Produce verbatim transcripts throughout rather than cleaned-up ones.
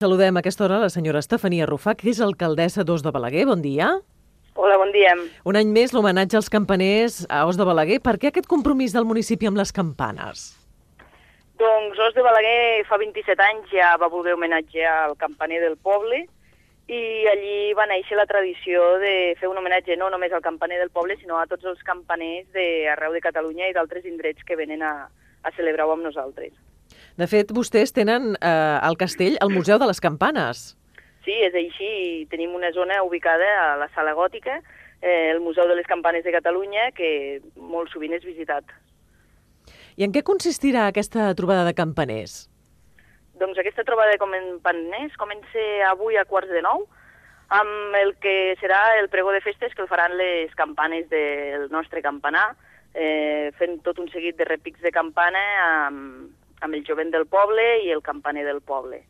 Saludem a aquesta hora la senyora Estefania Rufà, que és alcaldessa d'Os de Balaguer. Bon dia. Hola, bon dia. Un any més l'homenatge als campaners a Os de Balaguer. Per què aquest compromís del municipi amb les campanes? Doncs Os de Balaguer fa vint-i-set anys ja va voler homenatjar al campaner del poble i allí va néixer la tradició de fer un homenatge no només al campaner del poble, sinó a tots els campaners d'arreu de Catalunya i d'altres indrets que venen a, a celebrar-ho amb nosaltres. De fet, vostès tenen eh, al castell el Museu de les Campanes. Sí, és així. Tenim una zona ubicada a la Sala Gòtica, eh, el Museu de les Campanes de Catalunya, que molt sovint és visitat. I en què consistirà aquesta trobada de campaners? Doncs aquesta trobada de campaners comença avui a quarts de nou, amb el que serà el pregó de festes que el faran les campanes del nostre campanar, eh, fent tot un seguit de repics de campana amb, amb el jovent del poble i el campaner del poble.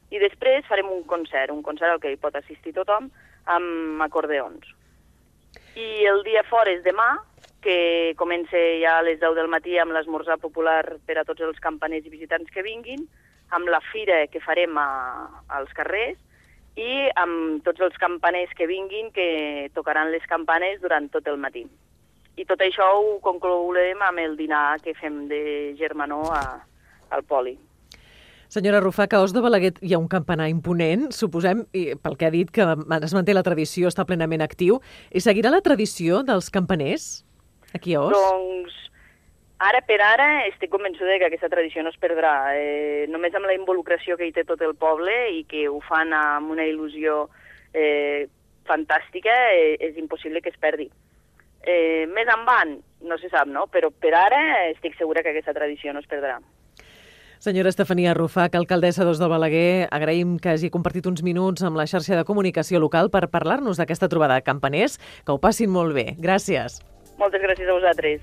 I després farem un concert, un concert al que hi pot assistir tothom, amb acordeons. I el dia fora és demà, que comença ja a les deu del matí amb l'esmorzar popular per a tots els campaners i visitants que vinguin, amb la fira que farem a, als carrers i amb tots els campaners que vinguin que tocaran les campanes durant tot el matí. I tot això ho conclourem amb el dinar que fem de germanor a, al poli. Senyora Rufà, que a Os de Balaguer hi ha un campanar imponent, suposem, i pel que ha dit, que es manté la tradició, està plenament actiu, i seguirà la tradició dels campaners aquí a Os? Doncs ara per ara estic convençuda que aquesta tradició no es perdrà. Eh, només amb la involucració que hi té tot el poble i que ho fan amb una il·lusió eh, fantàstica, eh, és impossible que es perdi. Eh, més endavant, no se sap, no? Però per ara estic segura que aquesta tradició no es perdrà. Senyora Estefania Rufà, que alcaldessa d'Os de Balaguer, agraïm que hagi compartit uns minuts amb la xarxa de comunicació local per parlar-nos d'aquesta trobada de campaners. Que ho passin molt bé. Gràcies. Moltes gràcies a vosaltres.